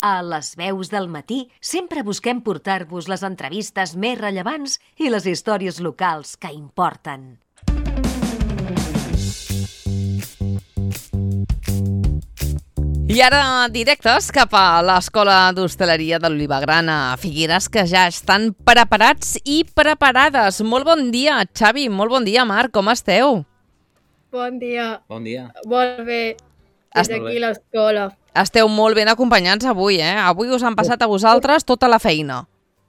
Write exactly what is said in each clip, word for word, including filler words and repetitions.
A Les Veus del Matí sempre busquem portar-vos les entrevistes més rellevants i les històries locals que importen. I ara directes cap a l'Escola d'Hostaleria de l'Olivagrana a Figueres, que ja estan preparats i preparades. Molt bon dia, Xavi. Molt bon dia, Marc. Com esteu? Bon dia. Bon dia. Molt bé. Des d'aquí l'escola. Esteu molt ben acompanyats avui, eh? Avui us han passat a vosaltres tota la feina.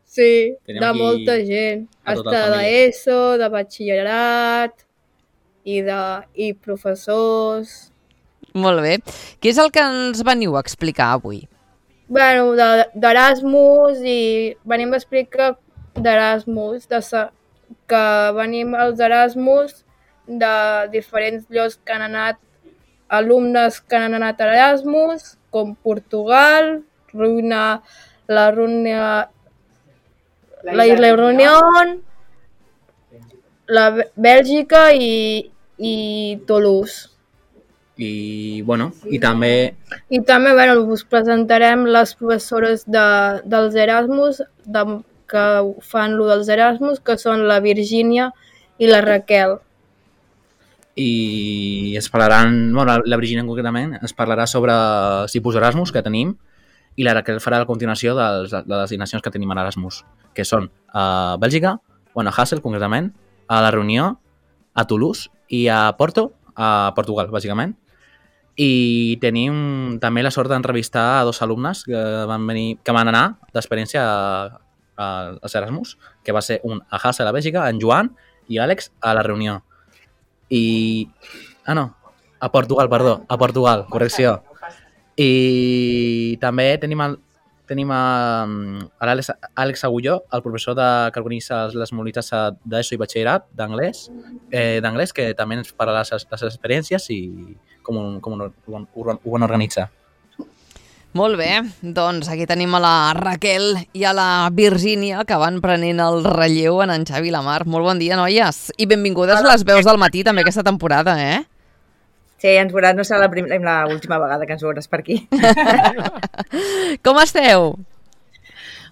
Sí, Tenim de aquí molta gent. a tota Hasta la família. d'ESO, de batxillerat i, de, i professors. Molt bé. Què és el que ens veniu a explicar avui? Bueno, de- d'Erasmus i venim a explicar d'Erasmus, de sa- que venim als Erasmus de diferents llocs que han anat, alumnes que han anat a Erasmus, com Portugal, Ruïna, la Ruïna, la Isla Reunión, la Bè- Bèlgica i, i Toulouse. I, bueno, i també I també, bueno, us presentarem les professores de, dels Erasmus, de, que fan lo dels Erasmus, que són la Virgínia i la Raquel. i es parlaran, bueno, la, la Virginia concretament ens parlarà sobre tipus Erasmus que tenim i la Raquel farà la continuació dels, de les destinacions que tenim a l'Erasmus, que són a Bèlgica, bueno, a Hasselt concretament, a la Reunió, a Toulouse i a Porto, a Portugal, bàsicament. I tenim també la sort d'entrevistar a dos alumnes que van, venir, que van anar d'experiència a, a, als Erasmus, que va ser un a Hasselt, a Bèlgica, en Joan i l'Àlex a la Reunió. I... Ah, no. A Portugal, perdó. A Portugal, correcció. I també tenim el, tenim a, a l'Àlex Àlex Agulló, el professor de, que organitza les mobilitats d'ESO i batxillerat d'anglès, eh, d'anglès, que també ens parlarà les, les experiències i com, com ho, ho, ho van organitzar. Molt bé, doncs aquí tenim a la Raquel i a la Virgínia, que van prenent el relleu en en Xavi i la Mar. Molt bon dia, noies. I benvingudes a Les Veus del Matí també aquesta temporada, eh? Sí, ens veuràs, no serà l'última vegada que ens veuràs per aquí. Com esteu?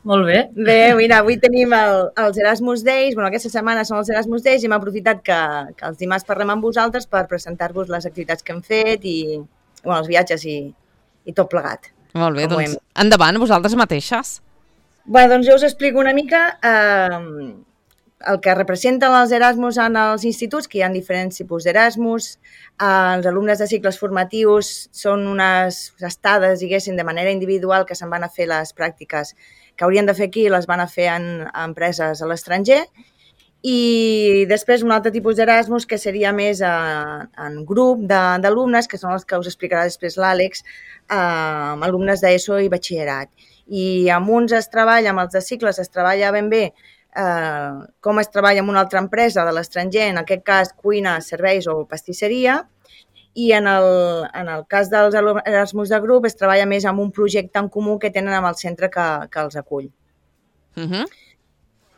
Molt bé. Bé, mira, avui tenim el, els Erasmus Days, bueno, aquesta setmana són els Erasmus Days i hem aprofitat que, que els dimarts parlem amb vosaltres per presentar-vos les activitats que hem fet i bueno, els viatges i, i tot plegat. Molt bé, Com doncs hem... endavant, vosaltres mateixes. Bé, doncs jo us explico una mica eh, el que representen els Erasmus en els instituts, que hi ha diferents tipus d'Erasmus. Eh, els alumnes de cicles formatius són unes estades, diguéssim, de manera individual que se'n van a fer les pràctiques que haurien de fer aquí i les van a fer en, en empreses a l'estranger. I després un altre tipus d'Erasmus que seria més eh, en grup d'alumnes, que són els que us explicarà després l'Àlex, eh, amb alumnes d'ESO i batxillerat. I amb uns es treballa, amb els de cicles es treballa ben bé eh, com es treballa amb una altra empresa de l'estranger, en aquest cas cuina, serveis o pastisseria, i en el, en el cas dels Erasmus de grup es treballa més amb un projecte en comú que tenen amb el centre que, que els acull. Uh -huh.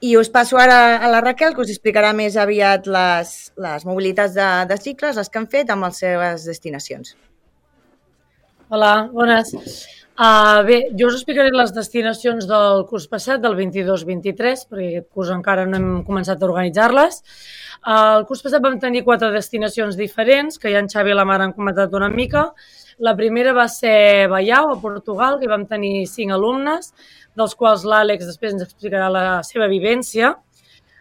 I us passo ara a la Raquel, que us explicarà més aviat les, les mobilitats de, de cicles, les que han fet amb les seves destinacions. Hola, bones. Uh, bé, jo us explicaré les destinacions del curs passat, del vint-i-dos vint-i-tres, perquè aquest curs encara no hem començat a organitzar-les. Uh, el curs passat vam tenir quatre destinacions diferents, que ja en Xavi i la Mar han comentat una mica. La primera va ser Baiao, a Portugal, que vam tenir cinc alumnes, dels quals l'Àlex després ens explicarà la seva vivència.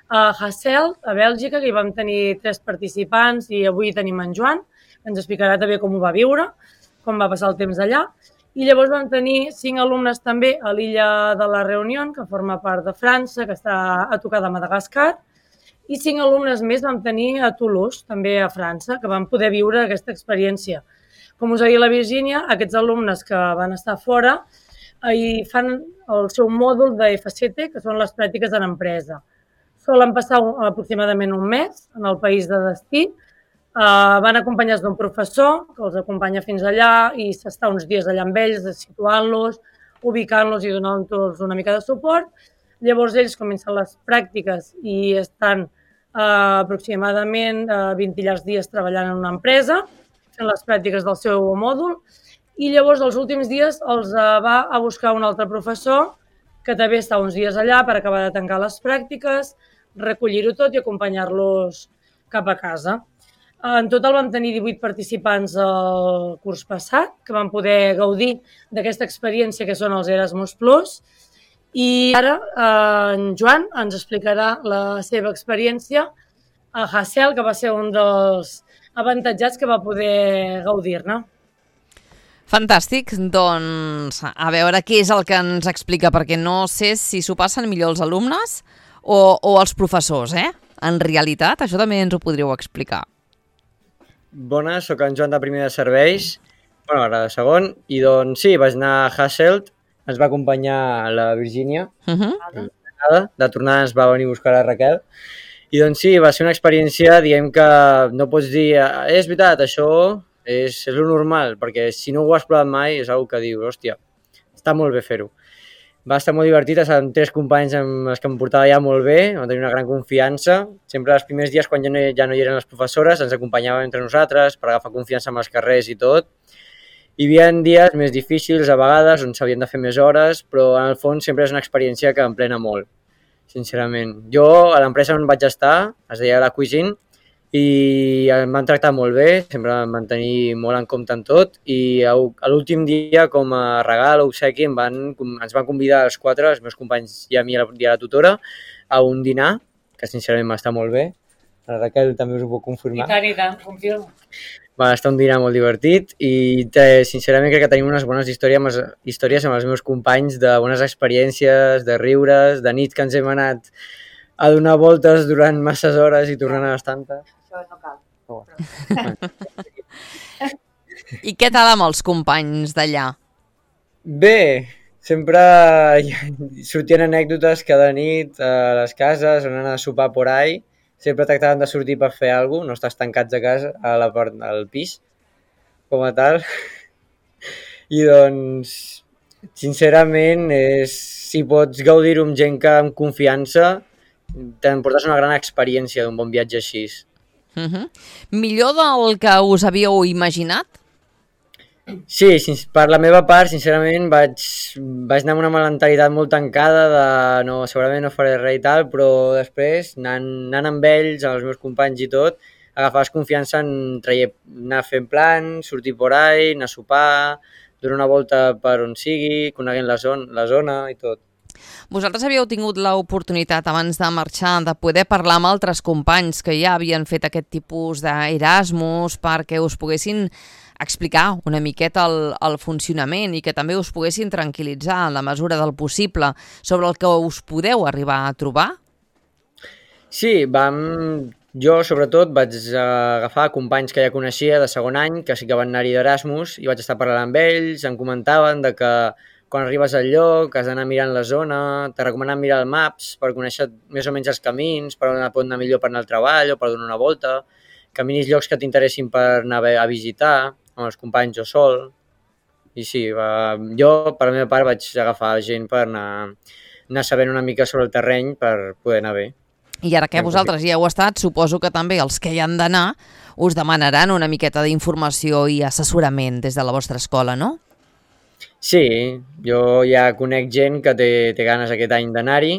A Hasselt, a Bèlgica, que hi vam tenir tres participants i avui tenim en Joan, que ens explicarà també com ho va viure, com va passar el temps allà. I llavors vam tenir cinc alumnes també a l'illa de la Reunió, que forma part de França, que està a tocar de Madagascar, i cinc alumnes més vam tenir a Toulouse, també a França, que van poder viure aquesta experiència. Com us deia la Virgínia, aquests alumnes que van estar fora i fan el seu mòdul de F C T, que són les pràctiques en empresa. Solen passar aproximadament un mes en el país de destí. Uh, van acompanyats d'un professor que els acompanya fins allà i s'està uns dies allà amb ells, situant-los, ubicant-los i donant-los una mica de suport. Llavors ells comencen les pràctiques i estan uh, aproximadament uh, vint i llargs dies treballant en una empresa, fent les pràctiques del seu mòdul i llavors els últims dies els va a buscar un altre professor que també està uns dies allà per acabar de tancar les pràctiques, recollir-ho tot i acompanyar-los cap a casa. En total vam tenir divuit participants el curs passat que van poder gaudir d'aquesta experiència que són els Erasmus Plus, i ara en Joan ens explicarà la seva experiència a Hassel, que va ser un dels avantatjats que va poder gaudir-ne. Fantàstic, doncs a veure què és el que ens explica, perquè no sé si s'ho passen millor els alumnes o, o els professors, eh? En realitat, això també ens ho podríeu explicar. Bones, sóc en Joan de primer de serveis, bueno, ara de segon, i doncs sí, vaig anar a Hasselt, ens va acompanyar la Virgínia, Uh -huh. de tornada ens va venir a buscar la Raquel, i doncs sí, va ser una experiència, diguem que no pots dir, eh, és veritat, això és, és lo normal, perquè si no ho has provat mai és una que dius, hòstia, està molt bé fer-ho. Va estar molt divertit, amb tres companys amb els que em portava ja molt bé, vam tenir una gran confiança. Sempre els primers dies, quan ja no, ja no hi eren les professores, ens acompanyaven entre nosaltres per agafar confiança amb els carrers i tot. Hi havia dies més difícils a vegades, on s'havien de fer més hores, però en el fons sempre és una experiència que em plena molt, sincerament. Jo a l'empresa on vaig estar, es deia La Cuisine, i em van tractar molt bé, sempre em van tenir molt en compte en tot, i a l'últim dia, com a regal o obsequi, em van, ens van convidar els quatre, els meus companys i a mi i a la tutora, a un dinar, que sincerament va estar molt bé. La Raquel també us ho puc confirmar. I tant, i tant, confirmo. Va estar un dinar molt divertit i eh, sincerament crec que tenim unes bones històries amb, els, històries amb els meus companys, de bones experiències, de riures, de nit que ens hem anat a donar voltes durant masses hores i tornant a les tantes. Això no cal. Oh. I què tal amb els companys d'allà? Bé, sempre sortien anècdotes cada nit a les cases, on anar a sopar por ahí. Sempre tractaven de sortir per fer alguna cosa, no estàs tancats a casa, a la part, al pis, com a tal. I doncs, sincerament, és, si pots gaudir-ho amb gent que amb confiança, t'emportes una gran experiència d'un bon viatge així. Uh -huh. Millor del que us havíeu imaginat? Sí, per la meva part, sincerament, vaig, vaig anar amb una mentalitat molt tancada de no, segurament no faré res i tal, però després, anant, anant amb ells, amb els meus companys i tot, agafaves confiança en traie, anar fent plans, sortir por ahí, anar a sopar, donar una volta per on sigui, coneguent la zona, la zona i tot. Vosaltres havíeu tingut l'oportunitat abans de marxar de poder parlar amb altres companys que ja havien fet aquest tipus d'Erasmus perquè us poguessin explicar una miqueta el, el funcionament i que també us poguessin tranquil·litzar en la mesura del possible sobre el que us podeu arribar a trobar? Sí, vam... jo sobretot vaig agafar companys que ja coneixia de segon any, que sí que van anar-hi d'Erasmus, i vaig estar parlant amb ells, em comentaven de que quan arribes al lloc has d'anar mirant la zona, te recomanen mirar el Maps per conèixer més o menys els camins, per on pot anar millor per anar al treball o per donar una volta, caminis llocs que t'interessin per anar a visitar, amb els companys o sol. I sí, va, jo per la meva part vaig agafar gent per anar, anar sabent una mica sobre el terreny per poder anar bé. I ara que vosaltres ja heu estat, suposo que també els que hi han d'anar us demanaran una miqueta d'informació i assessorament des de la vostra escola, no? Sí, jo ja conec gent que té, té ganes aquest any d'anar-hi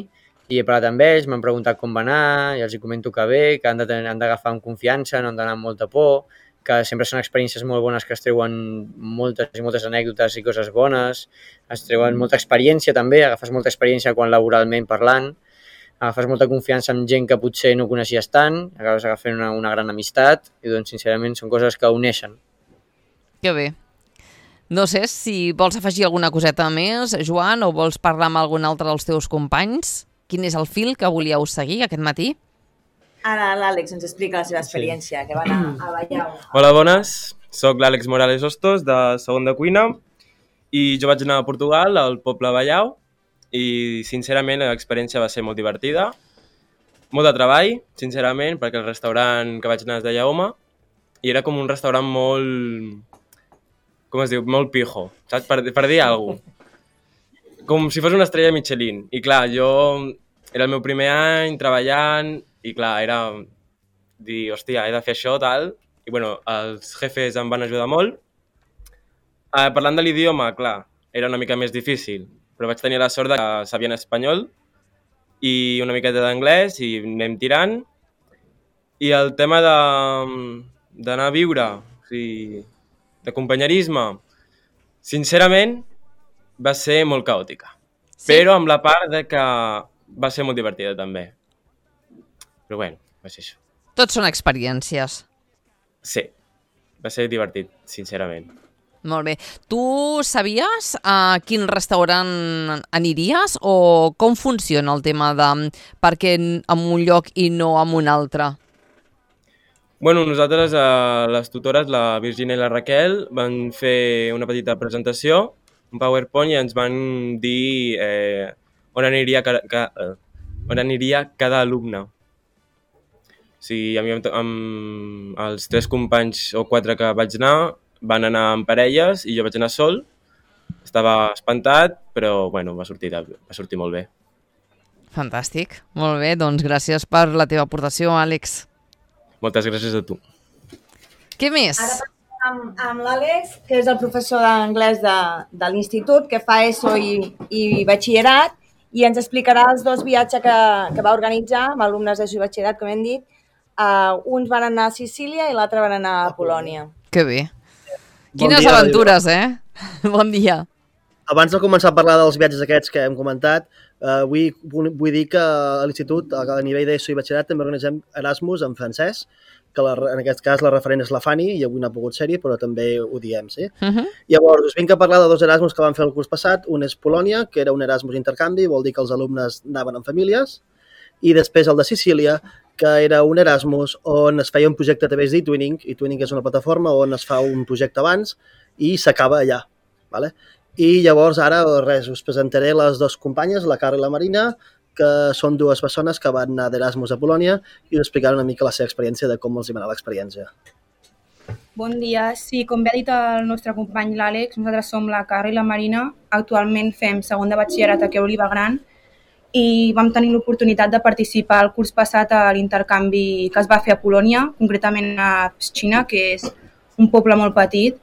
i he parlat amb ells, m'han preguntat com va anar, i els hi comento que bé, que han d'agafar amb confiança, no han d'anar amb molta por, que sempre són experiències molt bones que es treuen moltes i moltes anècdotes i coses bones, es treuen molta experiència també, agafes molta experiència quan laboralment parlant, agafes molta confiança amb gent que potser no coneixies tant, acabes agafant una, una gran amistat i doncs sincerament són coses que uneixen. Que bé. No sé si vols afegir alguna coseta més, Joan, o vols parlar amb algun altre dels teus companys? Quin és el fil que volíeu seguir aquest matí? Ara l'Àlex ens explica la seva experiència, sí. Que va anar a Vallau. Hola, bones. Soc l'Àlex Morales Hostos, de segon de cuina, i jo vaig anar a Portugal, al poble Vallau, i sincerament l'experiència va ser molt divertida. Molt de treball, sincerament, perquè el restaurant que vaig anar es deia Home, i era com un restaurant molt... com es diu? Molt pijo, saps? Per, per dir alguna cosa. Com si fos una estrella Michelin. I clar, jo... era el meu primer any treballant, i clar, era dir, hòstia, he de fer això, tal. I bueno, els jefes em van ajudar molt. Uh, parlant de l'idioma, clar, era una mica més difícil, però vaig tenir la sort de que sabien espanyol i una miqueta d'anglès i anem tirant. I el tema de d'anar a viure, o sigui, de companyerisme, sincerament, va ser molt caòtica. Sí. Però amb la part de que va ser molt divertida també. Però bueno, va ser això. Tots són experiències. Sí, va ser divertit, sincerament. Molt bé. Tu sabies a quin restaurant aniries o com funciona el tema de per què en un lloc i no en un altre? Bueno, nosaltres, eh, les tutores, la Virginia i la Raquel, van fer una petita presentació, un PowerPoint, i ens van dir eh, on, aniria ca, ca, eh, on aniria cada alumne. O sigui, a mi, amb, amb els tres companys o quatre que vaig anar, van anar en parelles i jo vaig anar sol. Estava espantat, però bueno, va sortir, va sortir molt bé. Fantàstic. Molt bé, doncs gràcies per la teva aportació, Àlex. Moltes gràcies a tu. Què més? Ara parlem amb, amb l'Àlex, que és el professor d'anglès de, de l'institut, que fa ESO i, i batxillerat, i ens explicarà els dos viatges que, que va organitzar amb alumnes d'ESO i batxillerat, com hem dit. Uh, uns van anar a Sicília i l'altre van anar a Polònia. Que bé. Quines bon aventures, eh? Bon dia. Abans de començar a parlar dels viatges aquests que hem comentat, eh, vull, vull dir que a l'institut, a nivell d'ESO i batxillerat, també organitzem Erasmus en francès, que la, en aquest cas la referent és la Fanny, i avui no ha pogut ser-hi, però també ho diem, sí? Uh-huh. Llavors, us vinc a parlar de dos Erasmus que van fer el curs passat. Un és Polònia, que era un Erasmus intercanvi, vol dir que els alumnes anaven en famílies, i després el de Sicília, que era un Erasmus on es feia un projecte a través d'eTwinning. eTwinning és una plataforma on es fa un projecte abans i s'acaba allà. Vale? I llavors ara res, us presentaré les dues companyes, la Carla i la Marina, que són dues persones que van anar d'Erasmus a Polònia i us explicaran una mica la seva experiència de com els hi va anar l'experiència. Bon dia. Sí, com bé ha dit el nostre company l'Àlex, nosaltres som la Carla i la Marina. Actualment fem segon de batxillerat aquí a Oliva Gran i vam tenir l'oportunitat de participar el curs passat a l'intercanvi que es va fer a Polònia, concretament a Pszczyna, que és un poble molt petit.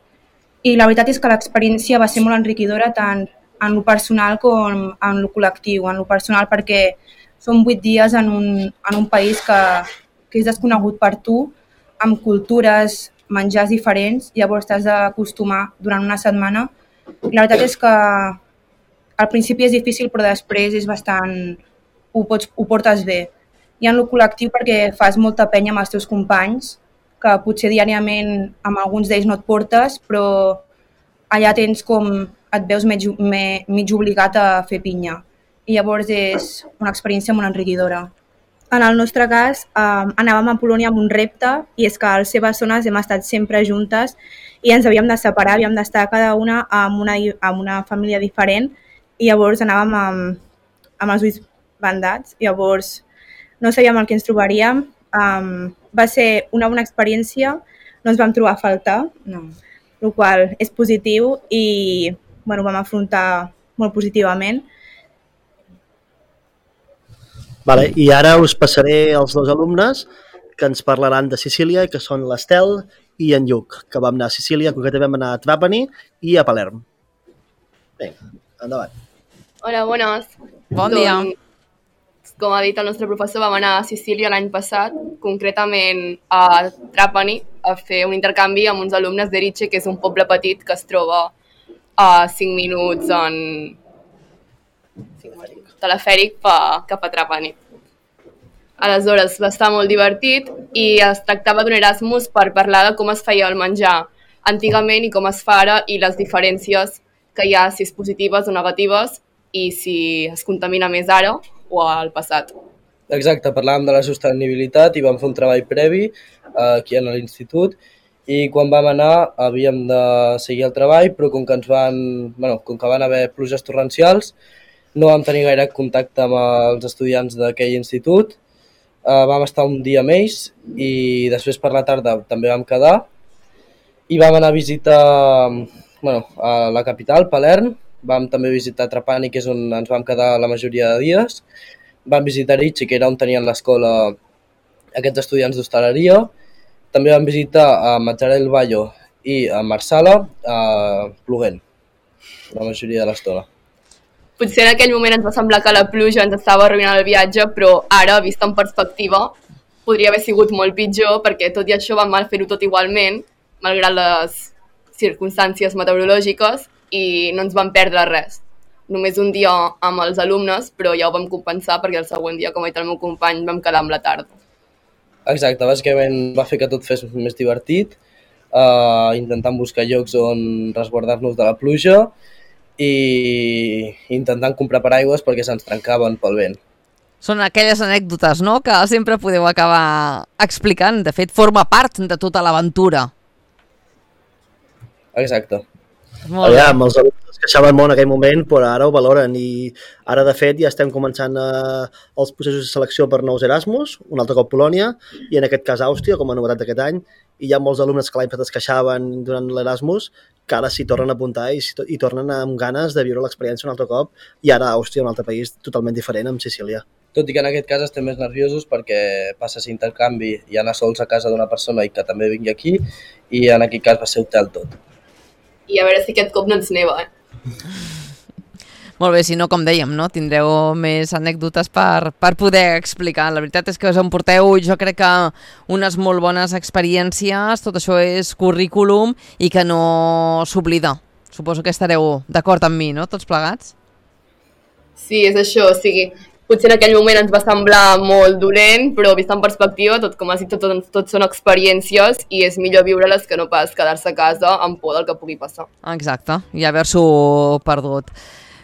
I la veritat és que l'experiència va ser molt enriquidora tant en lo personal com en lo col·lectiu. En lo personal perquè són vuit dies en un, en un país que, que és desconegut per tu, amb cultures, menjars diferents, llavors t'has d'acostumar durant una setmana. I la veritat és que al principi és difícil, però després és bastant... ho, pots, ho portes bé. I en lo col·lectiu perquè fas molta penya amb els teus companys, que potser diàriament amb alguns d'ells no et portes, però allà tens com et veus mig, mig obligat a fer pinya. I llavors és una experiència molt enriquidora. En el nostre cas, eh, anàvem a Polònia amb un repte, i és que a les seves zones hem estat sempre juntes i ens havíem de separar, havíem d'estar cada una amb una, amb una família diferent, i llavors anàvem amb, amb els ulls bandats, llavors no sabíem el que ens trobaríem. Um, va ser una bona experiència, no ens vam trobar a faltar, no. El qual és positiu i bueno, vam afrontar molt positivament. Vale, i ara us passaré els dos alumnes que ens parlaran de Sicília, que són l'Estel i en Lluc, que vam anar a Sicília, concretament vam anar a Trapani i a Palerm. Bé, endavant. Hola, bones. Bon dia. Doncs, com ha dit el nostre professor, vam anar a Sicília l'any passat, concretament a Trapani, a fer un intercanvi amb uns alumnes d'Erice, que és un poble petit que es troba a cinc minuts en telefèric cap a Trapani. Aleshores, va estar molt divertit i es tractava d'un Erasmus per parlar de com es feia el menjar antigament i com es fa ara i les diferències que hi ha, si és positives o negatives, i si es contamina més ara o al passat. Exacte, parlàvem de la sostenibilitat i vam fer un treball previ aquí a l'institut i quan vam anar havíem de seguir el treball, però com que ens van, bueno, com que van haver pluges torrencials, no vam tenir gaire contacte amb els estudiants d'aquell institut. Uh, vam estar un dia amb ells i després per la tarda també vam quedar i vam anar a visitar bueno, a la capital, Palerm. Vam també visitar Trapani, que és on ens vam quedar la majoria de dies. Vam visitar Erice, que era on tenien l'escola aquests estudiants d'hostaleria. També vam visitar a Mazzara del Vallo i a Marsala eh, ploguent la majoria de l'estona. Potser en aquell moment ens va semblar que la pluja ens estava arruïnant el viatge, però ara, vist en perspectiva, podria haver sigut molt pitjor, perquè tot i això vam fer-ho tot igualment, malgrat les circumstàncies meteorològiques, i no ens vam perdre res. Només un dia amb els alumnes, però ja ho vam compensar perquè el següent dia, com ha dit el meu company, vam quedar amb la tarda. Exacte, bàsicament va fer que tot fes més divertit, eh, intentant buscar llocs on resguardar-nos de la pluja i intentant comprar paraigües perquè se'ns trencaven pel vent. Són aquelles anècdotes, no?, que sempre podeu acabar explicant. De fet, forma part de tota l'aventura. Exacte. Molt bé. Aviam, els alumnes es queixaven molt en aquell moment, però ara ho valoren i ara, de fet, ja estem començant a, els processos de selecció per nous Erasmus, un altre cop Polònia, i en aquest cas Àustria, com a novetat d'aquest any, i hi ha molts alumnes que l'any passat es queixaven durant l'Erasmus, que ara s'hi tornen a apuntar i, i tornen amb ganes de viure l'experiència un altre cop, i ara Àustria, un altre país totalment diferent, amb Sicília. Tot i que en aquest cas estem més nerviosos perquè passa a ser intercanvi i anar sols a casa d'una persona i que també vingui aquí, i en aquest cas va ser hotel tot. I a veure si aquest cop no ens neva, eh? Molt bé, si no, com dèiem, no? Tindreu més anècdotes per, per poder explicar. La veritat és que us emporteu, jo crec que unes molt bones experiències, tot això és currículum i que no s'oblida. Suposo que estareu d'acord amb mi, no?, tots plegats? Sí, és això, o sigui, potser en aquell moment ens va semblar molt dolent, però vist en perspectiva, tot com has dit, tot, tot, tot són experiències i és millor viure-les que no pas quedar-se a casa amb por del que pugui passar. Exacte, i haver-s'ho perdut.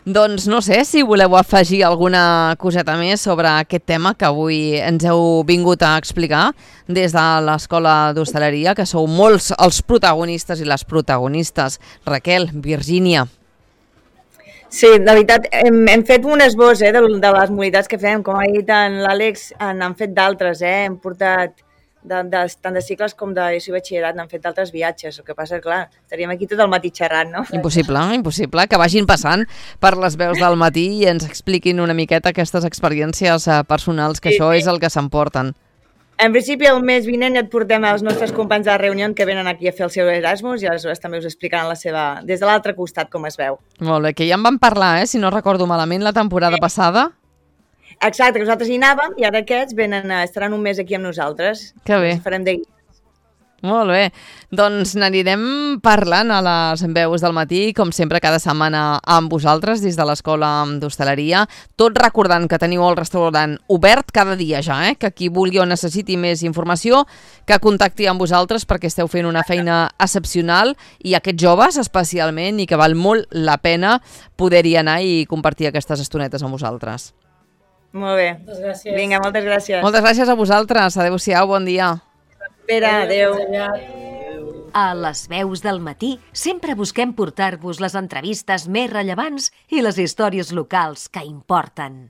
Doncs no sé si voleu afegir alguna coseta més sobre aquest tema que avui ens heu vingut a explicar des de l'Escola d'Hostaleria, que sou molts els protagonistes i les protagonistes. Raquel, Virgínia. Sí, de veritat, hem, hem fet un esbós eh, de, de les modalitats que fem. Com ha dit en l'Àlex, n'han fet d'altres. Eh? Hem portat de, de, tant de cicles com de I E S O i batxillerat, n'han fet d'altres viatges. El que passa és, clar, estaríem aquí tot el matí xerrant, no? Impossible, impossible. Que vagin passant per les veus del matí i ens expliquin una miqueta aquestes experiències personals, que sí, això és el que s'emporten. En principi, el mes vinent et portem els nostres companys de la reunió que venen aquí a fer el seu Erasmus i aleshores també us explicaran la seva, des de l'altre costat com es veu. Molt bé, que ja en vam parlar, eh, si no recordo malament, la temporada sí. passada. Exacte, que nosaltres hi anàvem i ara aquests venen, estaran un mes aquí amb nosaltres. Que bé. Ens farem de guia. Molt bé, doncs n'anirem parlant a les veus del matí, com sempre cada setmana amb vosaltres des de l'Escola d'Hostaleria, tot recordant que teniu el restaurant obert cada dia ja, eh? Que qui vulgui o necessiti més informació, que contacti amb vosaltres perquè esteu fent una feina excepcional i aquests joves especialment i que val molt la pena poder-hi anar i compartir aquestes estonetes amb vosaltres. Molt bé. Moltes gràcies. Vinga, moltes gràcies. Moltes gràcies a vosaltres. Adéu-siau, bon dia. Espera, adéu. A les veus del matí sempre busquem portar-vos les entrevistes més rellevants i les històries locals que importen.